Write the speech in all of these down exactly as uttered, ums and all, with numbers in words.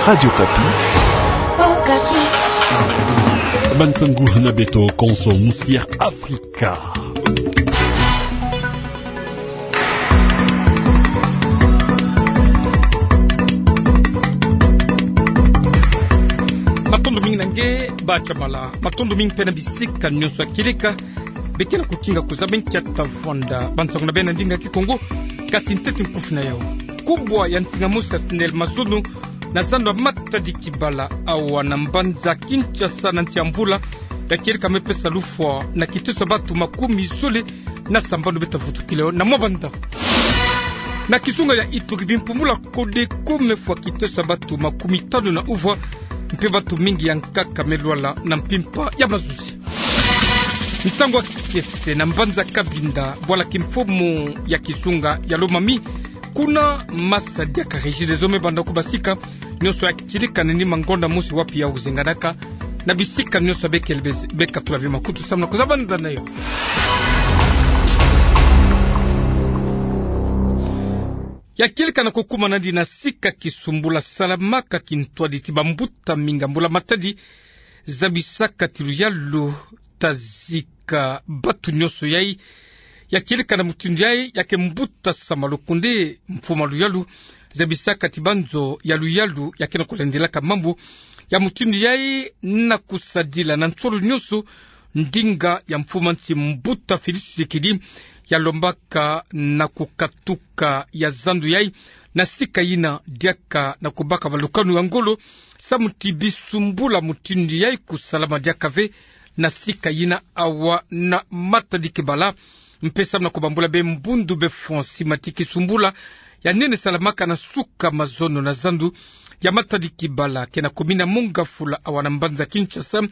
Radio Okapi. Okapi. Ba nsangu na beto konso musi ya Afrika. Matondo mingi na nge, Ba Chamala. Matondo mingi mpe na bisika nyonso ya kieleka. Beke na kukinga kuzaba nkia tavwanda ba nsangu na beno na ndinga Kikongo, kasi ntete nkufi na yau. Kubwa ya nsinga mosi ya SNEL mazono na zando ya Matadi Kibala awa na mbanza Kinshasa na nsi ya Mvula ya kieleka me pesa lufwa na kiteso ya batu makumi zole na sambanu beta vutukila yo na mwa banda. Na kizunga ya Ituri, bimpumbula Codeco me fwa kiteso ya batu makumi tanu na uvwa, mpe batu mingi ya nkaka me lwala na mpimpa ya mazuzi. Nsangu ya kiese na mbanza Cabinda, bwala kimfumu ya kizunga ya Lomami, kuna masa diaka Regideso me banda kubasika, nyonso ya kieleka na nima ngonda mosi wapi yau zenganaka, na bisika nyonso ya bekele bes-, beka tula ve makutu samu na kuzaba nza na yo. Ya kieleka na kukumana nandi na sika kisumbula salamaka kintwadi ti bambuta mingi ya mbula matadi, zabisaka ti luyalu ta zika batu nyonso yai. Ya kieleka na mutindu yai, ya ke mbuta Sama Lukonde, mfumu a luyalu, zabisaka ti banzo ya luyalu ya ke na kulendelaka mambu ya mutindu yai na kusadila na nsolo nyonso ndinga ya mfumu a nsi, mbuta Félix Tshisekedi, ya lombaka na kukatuka ya zando yai na sika yina diaka na kubaka balukanu ya ngolo, samu ti bisumbula mutindu yai kusalama diaka ve na sika yina awa na Matadi Kibala. Mpe samu na kubambula be mbundu be fwa sima ti kisumbula ya nene salamaka na suka mazono na zando ya Matadi Kibala, ke na commune ya Mont-Ngafula awa na mbanza Kinshasa,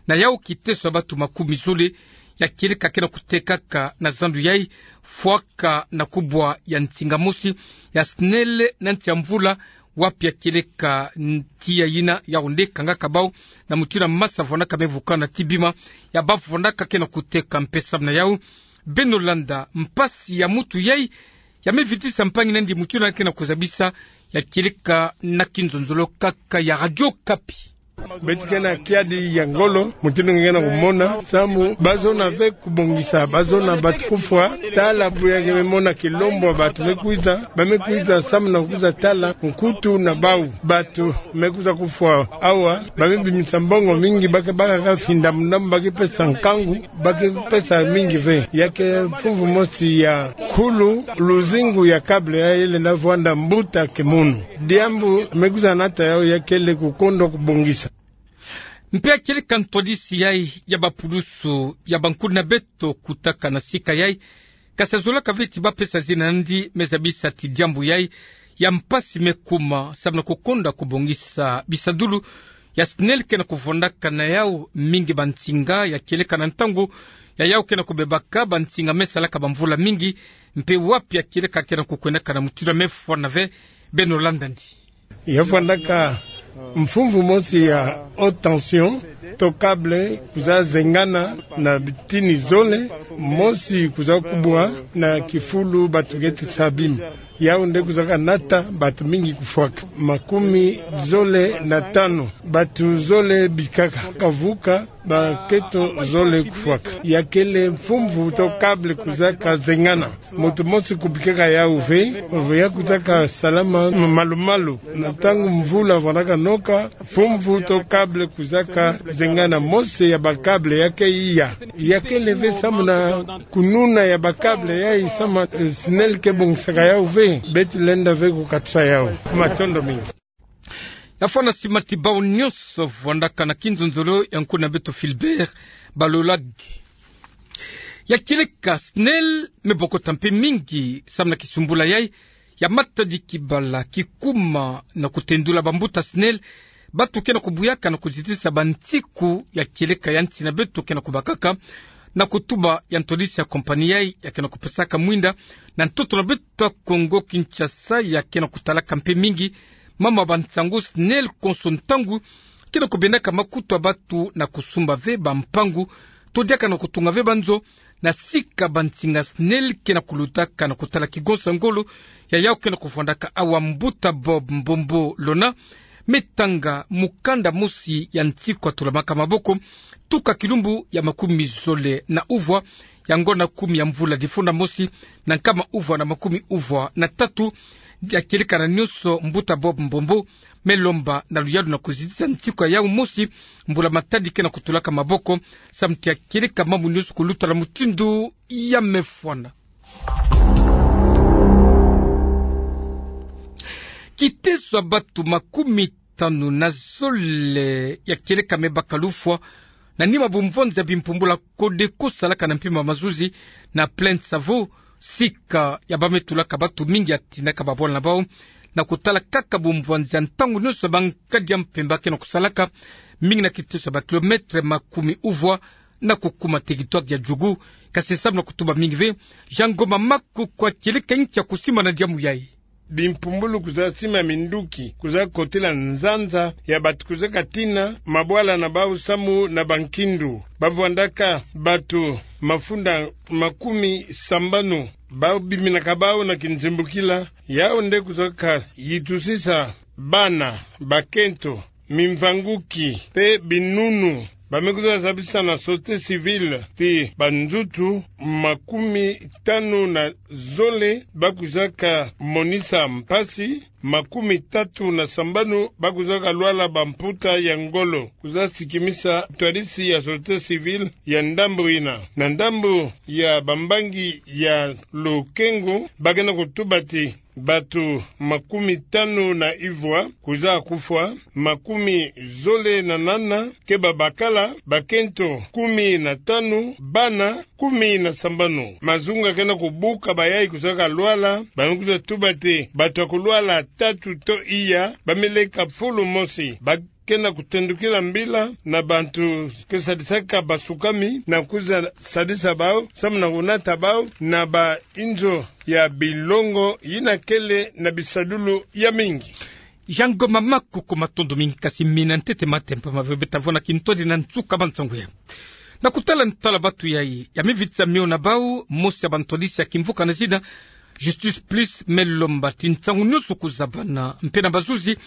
na yau kiteso ya batu makumi zole ya kieleka ke na kutekaka na zando yai, fwaka na kubwa ya nsinga mosi ya SNEL na nsi ya Mvula, wapi ya kieleka ntia yina yau nde kangaka bau na mutindu ya masa vwandaka me vukana ti bima ya bavwandaka ke na kuteka. Mpe samu na yau, beno landa mpasi ya mutu yai ya me vitisa mpangi nandi mutindu yandi ke na kuzabisa, ya kieleka na kinzonzolo kaka ya Radio Okapi. Beto ke na kiadi ya ngolo, mutindu nge ke na kumona, samu bazona ve kubongisa, bazona batu kufwa tala, bu ya ke me mona kilombo ya batu me kwiza, ba me kwiza samu na kwiza tala nkutu na bau. Batu me kwiza kufwa awa, ba me bimisa mbongo mingi, ba ke baka ka finda muna, ba ke pesa nkangu, ba ke pesa mingi ve. Ya ke mfumvu mosi ya kulu luzingu ya câble yai lenda vwanda mbuta kimunu. Diambu me kwiza nata yau, ya kele kukondo kubongisa. Mpe ya kieleka ntwadisi yai ya bapulusu ya bankulu na beto kutaka na sika yai, ka sa zolaka ve ti ba pesa zina nandi, me zabisa ti diambu yai ya mpasi me kuma samu na kukonda kubongisa bisadulu ya SNEL ke na kuvwandaka na yau mingi bansinga ya kieleka na ntangu ya yau ke na kubebaka, bansinga me salaka bamvula mingi, mpe wapi ya kieleka ke na kukwendaka na mutindu ya me fwana ve. Beno landa ndi. Ya vwandaka mfumvu mosi ya haute tension, to câble kwiza zengana na bitini zole, mosi kwiza kubwa na kifulu batu keti sa bima. Yau nde kwizaka nata batu mingi kufwaka. Makumi zole na tanu, batu zole bikaka, kavuka bakento zole kufwaka. Ya kele mfumvu to câble kwizaka zengana. Mutu mosi kubikaka yau ve, ya kwizaka salama malu-malu. Na ntangu mvula vwandaka noka, mfumvu to câble kwizaka zengana, mosi ya ba câble ya ke iya. Ya kele ve samu na kununa ya ba câble yai samu, eh, SNEL ke bongisaka yau ve. Beto lenda ve kukatusa yau. Matondo mingi. Ya fwana sima ti bau nyonso vwandaka na kinzonzolo ya nkulu na beto Philbert Balolage. Ya kieleka SNEL me bokota mpe mingi samu na kisumbula yai ya Matadi Kibala, kikuma na kutendula bambuta SNEL, batu ke na kubuyaka na kuzitisa bansiku ya kieleka ya nsi na beto ke na kubakaka, na kutuba ya ntwadisi ya compagnie yai ya ke na kupesaka mwinda na ntoto na beto Kongo Kinshasa, ya ke na kutalaka mpe mingi mama bansangu. SNEL konso ntangu ke na kubendaka makutu ya batu na kusumba ve bampangu, to diaka na kutunga ve banzo na sika bansinga SNEL ke na kulutaka na kutala kigonsa ngolo ya yau ke na kuvwandaka awa. Mbuta Bob Mbombo Lona me tanga mukanda mosi ya nsiku ya tulamaka maboko, tuka kilumbu ya makumi zole na uvwa ya ngonda kumi ya mvula difunda mosi na nkama uvwa na makumi uvwa na tatu, ya kieleka na nionso mbuta Bob Mbombo me lomba na luyalu na kuzitisa nsiku ya yau mosi mbula matadi ke na kutulaka maboko, samu ti ya kieleka mambu nionso kuluta na mutindu ya mefwana. Kiteso ya batu makumi tanu na zole ya kieleka me baka lufwa na nima bumvwanzi ya bimpumbula Codeco salaka na mpimpa mazuzi na Plaine Savo, sika ya ba me tulaka batu mingi ya tindaka babwala na bau na kutala kaka bumvwanzi ya ntangu nionso ya bankadi ya mpemba ke na kusalaka, mingi na kiteso ya ba kilometre makumi uvwa na kukuma territoire ya Djougou, kasi samu na kutuba mingi ve, Jean Ngoma Makoko a kieleka nki ya kusimbana diamu yai. Bimpumbulu kuzaba sima minduki, kuzaba kotila nzanza ya batu kuzaba katina mabwala na bau samu na bankindu. Ba vwandaka batu mafunda makumi sambanu, bau biminaka bau na kinzimbukila, yau nde kuzaba kayitusisa bana, bakento, mimvanguki, pe binunu. Ba me kuzaba zabisa na société civile ti banzutu makumi tanu na zole ba kuzaba kamonisa mpasi, makumi tatu na sambanu ba kuzaba kalwala bamputa ya ngolo. Kuzaba sikimisa ntwadisi ya société civile ya ndambu yina. Na ndambu ya bambangi ya lukengo, ba ke na kutuba ti batu makumi tanu na ivwa kuzaba kufwa, makumi zole na nana ke babakala, bakento kumi na tanu, bana kumi na sambanu. Mazunga ke na kubuka bayai kuzaba kalwala, ba me kuzaba tuba ti batu ya kulwala tatu to iya ba me leka fulu mosi. Ba ke na kutendukila mbila na bantu ke sadisaka basukami na kuzaba sadisa bau, samu na kunata bau na bainzo ya bilongo yina kele na bisadulu ya mingi. Jean Ngoma Makoko, matondo mingi, kasi mina ntete matempa ma ve beta vwa na kintwadi na nsuka ba nsangu ya. Na kutala ntwala batu yai, ya me vitisa mio na bau, mosi ya bantwadisi ya kimvuka na zina Justice Plus me lomba ti nsangu nionso kuzabana mpe na bazuzi,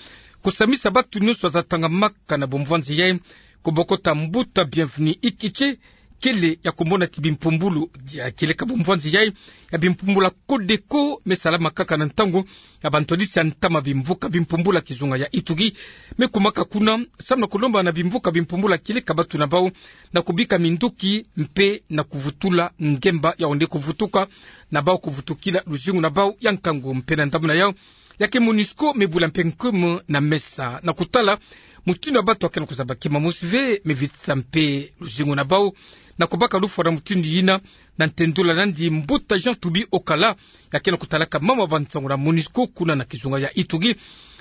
kusamisa batu nionso ya tatangamaka na bumvwanzi yai, kubokota mbuta Bienvenu Ikiche, kele ya kumona ti bimpumbulu ya kieleka bumvwanzi yai ya bimpumbula Codeco me salama kaka na ntangu ya bantwadisi ya ntama bimvuka bimpumbula kizunga ya Ituri me kumaka kuna, samu na kulomba na bimvuka bimpumbula kieleka batu na bau na kubika minduki mpe na kuvutula ngemba yau nde kuvutuka na bau kuvutukila luzingu na bau ya nkangu. Mpe na ndambu na yau, ya ke MONUSCO me bula mpe nkumu na mesa na kutala mutindu ya batu ya ke na kuzaba kima mosi ve, me vitisa mpe luzingu na bau na kubaka lufwa na mutindu yina, na ntendula nandi mbuta Jean Toubi Okala, ya ke na kutalaka mambu ya ba nsangu na MONUSCO kuna na kizunga ya Ituri.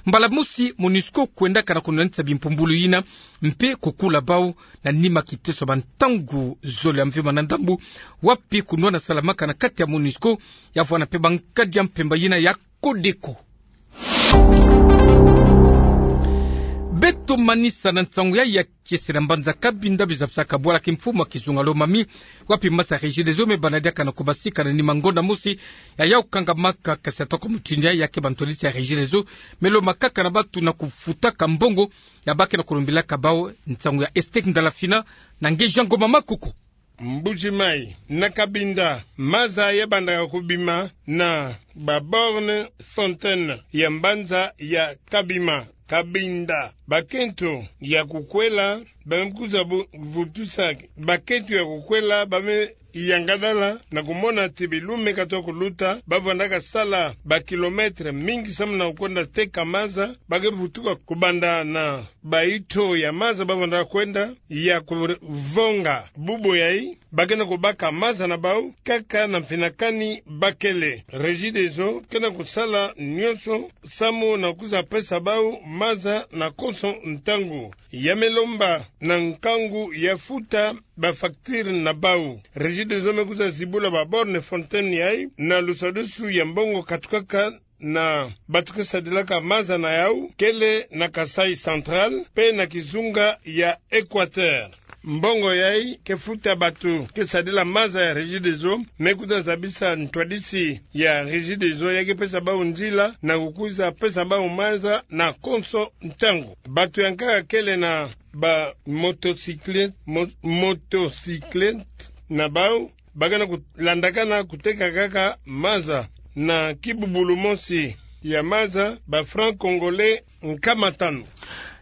Mbala mosi MONUSCO kwendaka na kunwanisa bimpumbulu yina mpe kukula bau na nima kiteso ba ntangu zole ya mvimba na ndambu, wapi kunwana salamaka na kati ya MONUSCO ya vwa na mpe bankadi ya mpemba yina ya Codeco. Beto manisa na nsangu yai ya kiese na mbanza Cabinda, bizabisaka bwala kimfumu ya kizunga Lomami, wapi masa Regideso me bana diaka na kubasika na nima ngonda mosi ya yau kangamaka, kasi atoko mutindu yai, ya ke bantwadisi ya Regideso me lomba kaka na batu na kufutaka mbongo ya ba ke na kulombilaka bau. Nsangu ya Estek Ndalafina na nge Jean Ngoma Makoko. Mbuji-Mayi, na Cabinda, maza ya bandaka kubima na ba borne fontaine ya mbanza ya Cabima. Cabinda, bakento ya kukwela ba me kwiza bu-, vutusa, bakento ya kukwela ba me yangadala na kumona ti bilume ka twa kuluta, ba vwandaka sala ba kilometre mingi samu na kukwenda teka maza, ba ke vutuka kubanda na baito ya maza ba vwandaka kwenda ya kuvonga bubo yai, ba ke na kubaka maza na bau kaka na mfinakani ba kele. Regideso ke na kusala nionso samu na kwiza pesa bau maza na konso ntangu. Ya me lomba na nkangu ya futa ba facture na bau. Regideso me kwiza zibula ba borne fontaine yai na lusadusu ya mbongo katukaka na batu ke sadilaka maza na yau, kele na Kasaï Central mpe na kizunga ya Equateur. mbongo yayi ke futa bato ke sadila maza ya Regideso, me kuta zabisa ntwadisi ya Regideso ya ke pesa bau nzila na kukwiza pesa bau maza na konso ntangu. Bato ya nkaka kele na ba motocyclette, mo-, motocyclette na bau, bakana kulandakana kuteka kaka maza na kibubulu mosi ya maza, ba francs congolais nkama tanu.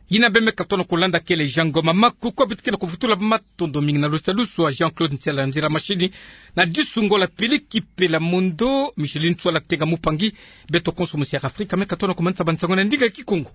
Yina beme ka tona kulanda kele Jean Ngoma Maku, kwa bituke na kuvutula matondo mingi na lusadusu a Jean-Claude Ntiala nzila mashini, na disu ngola Pili Kipela Mondo, Micheline Tswala Tenga Mupangi, beto konso musi ya Afrika, me ka tona kumanisa bansango na ndinga Kikongo.